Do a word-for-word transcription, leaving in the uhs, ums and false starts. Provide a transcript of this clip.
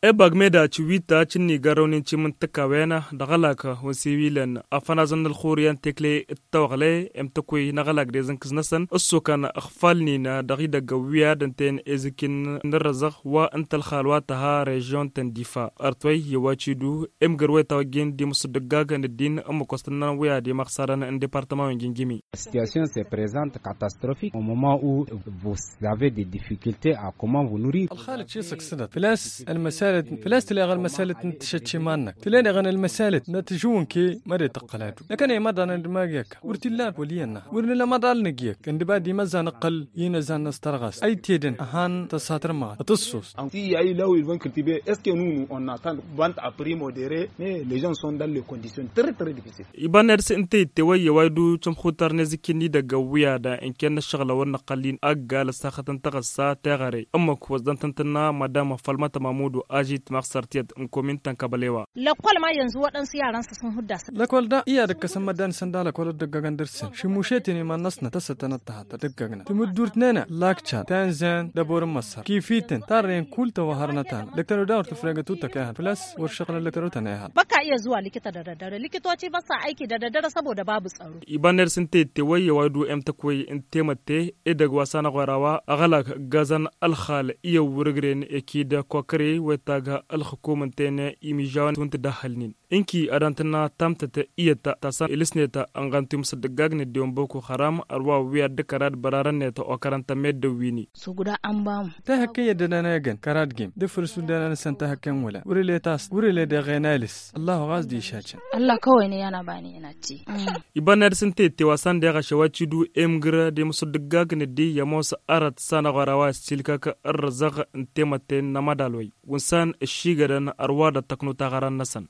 Ebag meda cǝwita cǝnnigarăwnen cimǝntǝkawen dăɣ-alak wǝnsiwilăn afănazăn n-ălxuriyăn tekle d-tawăɣle emtăkwe n-aɣălak d-ezǝnkǝz-năsăn ǝssukăn ăɣfalnin dăɣ-idăgg ăwwiyad ǝnta-en ezǝkkin n-ărrăzăɣ wa ǝnta ălxal wa tăha režion ta n-difa. Ărtwăy i-wa cidu emgăr wa itawăjjen d-imǝssǝddǝggag n-ăddin ǝmmǝk wa s-tǝnnăn wi ad-imăɣsarăn n-departăma wa n-jǝnjǝmi. Situation se prezant katastrofik au moment u vos. Zave de difikilte a comment vos nuri. Ălxalăt šisăk sădăt făl-a-s ălmăsalăt făl-a-s tǝleɣ ălmăsalăt n-tǝšăt iman-năk tǝleneɣ n-ălmăsalăt n-ad-tǝžǝwǝn ke măre tăqqăl ad-wi năkăne imăḍan d-magi ăkk wăr t-illa ad-wăl iyyăn năha wăr nǝla amăḍal nǝjjek ǝndǝba d-imăzza nǝqqăl inăzan n-ăstărɣas a itedăn ăhan tăsatăr măɣăt tǝssos. Anti i-a ilaw ilvan kǝltibe est-ce que nunu on attend vant a primo dere ne ležan son dal le condition trătrăd. Iba n-ed s-ǝnta ittewăyye wa idǝw cămxutar n-ezǝkkin n-idăgg ăwwiyad ǝnken n-ăššăɣǝl a wăr năqqăl-in ăggal ăssaxăt n-taɣǝssa teɣăre ǝmmǝk wa s-dăɣ-tăn-tǝnna madam fălmăt mamud u-ažit măɣsăr tiyyăt n-komin ta n-kăbălewa. Lăkkol ma yănzǝw wăḍăn s-iyyarăn s-asǝnhudda-săn. Lăkkol da iyyăr d-ǝkkăsăn măddan isănda lăkkol ăddăggagăn dăr-săn šimmušetin iman-năsnăt a-s ătănăt tăhat ăddăggagnen timǝddurt n-enăɣ lakčan ta inzăn d-ăbor n-măssăr kif-ităn tarrăyăn kull tăwăhărnăt-anăɣ lăktăr-wi daɣ wăr tǝfregăt utăk a ihăn făl-a-s wăr šăɣlăn lăktăr-wi tăn-a ihăn. Băkka iyyăt zuwa likita dăr-ăddăr likitoci băssa aiki dăr-ăddăr săboda babu tsaro. Iba n-ed s-ǝnta ittewăyye wa idǝw emtăkwăy n-temătte edăgg wa s-anăɣ wăr-a-wa ăɣălak ǝggazăn ălxal iyyăw wăr-ǝgren ekid kokăre wa itagg ălxǝkum ǝnta-en imižawăn wa n-tǝdahhălnen. Ǝnki ad-dăɣ-tǝnna tamtăt iyyăt ta s-ilǝsnet ănɣăn timǝsǝddǝggag n-ăddiwăn boko haram ărwa wi ad-dd-kărad bărarăn-net okărăn tămmeddǝw wi-ni. Sugǝda ănbamǝ. Tahăkke i-ăddănan egăn kăradgem d-afăl s-uddanan-săn tahăkke n-wăla wăr-ila i-tass wăr-ila i-deɣ enalǝs. Ăllahu ɣas d-išačăn. Ăllah kăwăy n-iyyăn ăbani inăcci. Iba n-ad-sǝnta itte wa s-an deɣ ašăw ad-t-idu emgǝr d-imǝsǝddǝggag n-ăddiy i-ămoos arăt s-anăɣ wăr-a-wa issilkăk ărrăzăɣ n-temătte n-amădalwăy wǝnsan ǝššigădăn ărwa dd-tăknut aɣăran-năsăn.